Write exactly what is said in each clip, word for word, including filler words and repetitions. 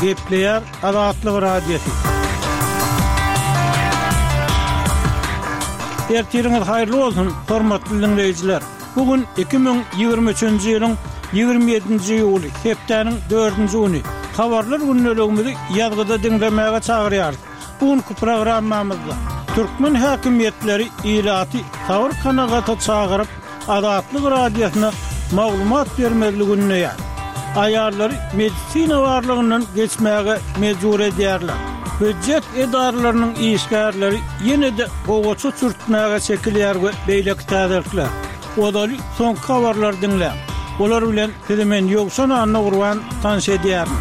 Gepleýär Azatlyk Radiosy. Ertiriňiz haýyrly bolsun, hormatly diňleýjiler! Bu gün iki müň ýigrimi üçünji ýylyň ýigrimi ýedinji iýuly, hepdäniň dördünji güni. Habarlar gündeligimizi ýazgyda diňlemäge çagyrýarys. Bu günki programmamyzda türkmen häkimiýetleri ilaty sabyr-kanagata çagyryp, Azatlyk Radiosyna maglumat bermezligi ündeýär. Aýallary medisina barlagyndan geçmäge mejbur edýärler. Býujet edaralarynyň işgärleri ýene-de gowaça çürtmäge çekilýär we beýleki täzelikler. Ozaly soňky habarlary diňläň. Olar bilen sizi men Ýowşan Annagurban tanyş edýärin.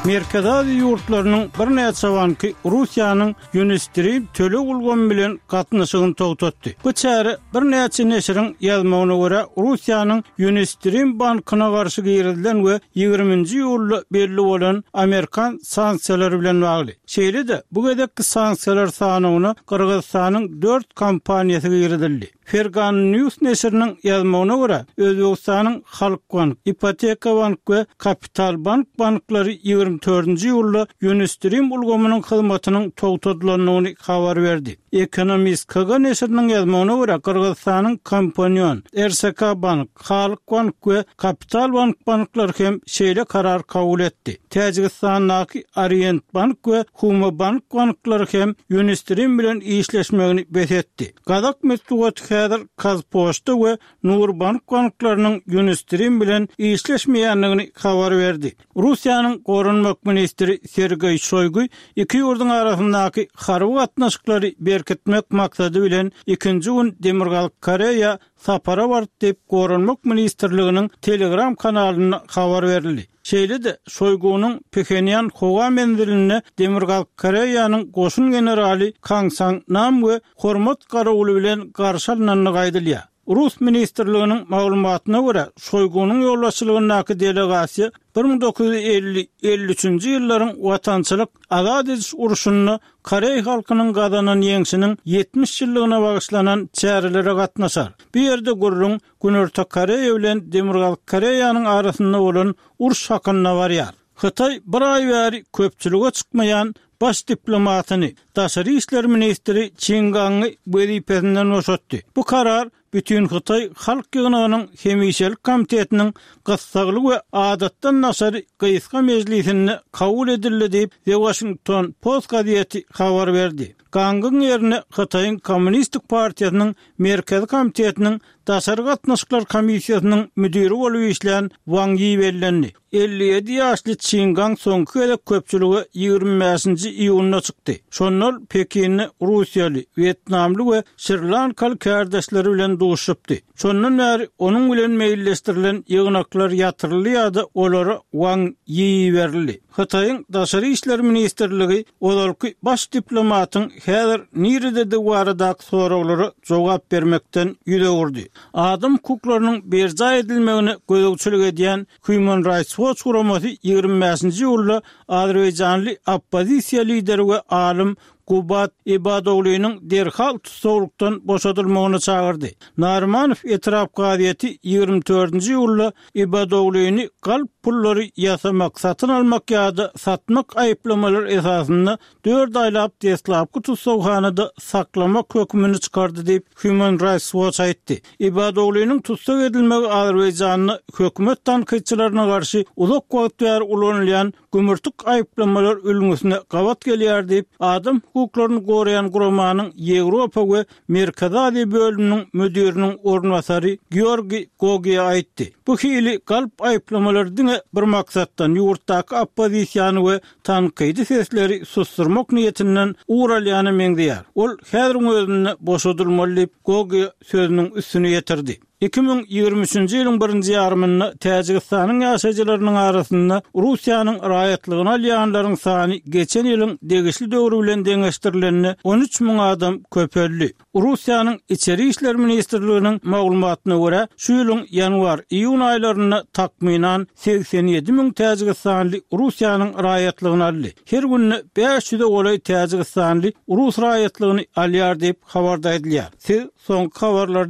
Merkezi Aziýa ýurtlarynyň birnäçe banky Russiýanyň Unistream töleg ulgamy bilen gatnaşygyny togtatdy. Bu çäre birnäçe neşiriň ýazmagyna görä, Russiýanyň Unistream bankyna garşy girizilen we ýigriminji iýulda belli bolan amerikan sanksiýalary bilen bagly. Şeýle-de, bu gezekki sanksiýalar sanawyna Gyrgyzystanyň dört kompaniýasy girizildi. Fergana News neşiriniň ýazmagyna görä, Özbegistanyň Halkbank, Ipoteka bank we Kapital bank banklary ýigrimi dördünji iýulda Unistream ulgamynyň hyzmatynyň togtadylandygyny habar berdi. Ekonomist KG neşiriniň ýazmagyna görä, Gyrgyzystanyň Kompanion, RSK bank, Halkbank we Kapital bank banklary hem şeýle karar kabul etdi. Täjigistandaky Orient bank we Humo bank banklary hem Unistream bilen işleşmegini bes etdi. Gazak metbugaty häzir Kazpoçta we Nurbank banklarynyň Unistream bilen işleşmeýändigini habar berdi. Russiýanyň Goranmak ministri Sergeý Şoýgu iki ýurduň arasyndaky harby gatnaşyklary berkitmek maksady bilen ikinji gün Demirgazyk Koreýa sapara bardy diýip, Goranmak ministrliginiň Telegram kanalynda habar berildi. Şeýle-de, Şoýgunyň Phenýan howa menzilinde Demirgazyk Koreýanyň goşun generaly Kang Sang Nam we hormat garawuly bilen garşy alnandygy aýdylýar. Rus ministrliginiň maglumatyna görä, Şoýgunyň ýolbaşçylygyndaky delegasiýa bir müň dokuz ýüz elli, elli üçünji ýyllaryň Watançylyk azat ediş urşunda koreý halkynyň gazanan ýeňşiniň ýetmiş ýyllygyna bagyşlanan çärelere gatnaşar. Bu ýerde gürrüň Günorta Koreýa bilen Demirgazyk Koreýanyň arasynda bolan uruş hakynda barýar. Hytaý bir aý bäri köpçülige çykmaýan baş diplomatyny, daşary işler ministri Çin Gangy wezipesinden boşatdy. Bu karar Bütinhytaý Halk ýygnagynyň hemişelik komitetiniň gyssagly we adatdan daşary gysga mejlisinde kabul edildi diýip, The Washington Post gazeti habar berdi. Gangyň ýerine Hytaýyň Kommunistik partiýasynyň Merkezi komitetiniň Daşary gatnaşyklar komissiýasynyň müdiri bolup işlän Wang Ýi bellendi. Elli ýedi ýaşly Çin Gang soňky gezek köpçülige ýigrimi bäşinji iýunda çykdy. Şonda ol Pekinde russiýaly, wýetnamly we şri-lankaly kärdeşleri bilen duşuşypdy. Şondan bäri onuň bilen meýilleşdirilen ýygnaklar ýatyryldy ýa-da olara Wang Ýi berildi. Hytaýyň Daşary işler ministrligi ozalky baş diplomatyň häzir nirededigi baradaky soraglara jogap bermekden ýüz öwürdi. Adam hukuklarynyň berjaý edilmegine gözegçilik edýän Human Rights Watch guramasy ýigrimi bäşinji iýulda azerbaýjanly oppozisiýa lideri we alym Gubad Ibadoglynyň derhal tussaglykdan boşadylmagyna çagyrdy. Narymanow etrap kazyýeti ýigrimi dördünji iýulda Ibadoglyny galp pullary ýasamak, satyn almak ýa-da satmak aýyplamalary esasynda dört aýlap deslapky tussaghanada saklamak hökümini çykardy diýip, Human Rights Watch aýtdy. Ibadoglynyň tussag edilmegi Azerbaýjanda hökümet tankytçylaryna garşy uzak wagt bäri ulanylýan gümürtik aýyplamalar ülňüsine gabat gelýär diýip, adam hukuklaryny goraýan guramanyň Ýewropa we Merkezi Aziýa bölüminiň müdiriniň orunbasary Georgiý Gogiýa aýtdy. Bu hili galp aýyplamalar diňe bir maksatdan, ýurtdaky oppozisiýany we tankydy sesleri susdurmak niýetinden ugur alýana meňzeýär. Ol häziriň özünde boşadylmaly diýip, Gogiýa sözüniň üstüni ýetirdi. Iki müň ýigrimi üçünji ýylyň birinji ýarymynda Täjigistanyň ýaşaýjylarynyň arasynda Russiýanyň raýatlygyny alýanlaryň sany geçen ýylyň degişli döwri bilen deňeşdirilende on üç müň adam köpeldi. Russiýanyň Içeri işler ministrliginiň maglumatyna görä, şu ýylyň ýanwar-iýun aýlarynda takmynan segsen ýedi müň täjigistanly Russiýanyň raýatlygyny aldy. Her günde bäş ýüze golaý täjigistanly rus raýatlygyny alýar diýip, habarda aýdylýar. Siz soňky habarlarda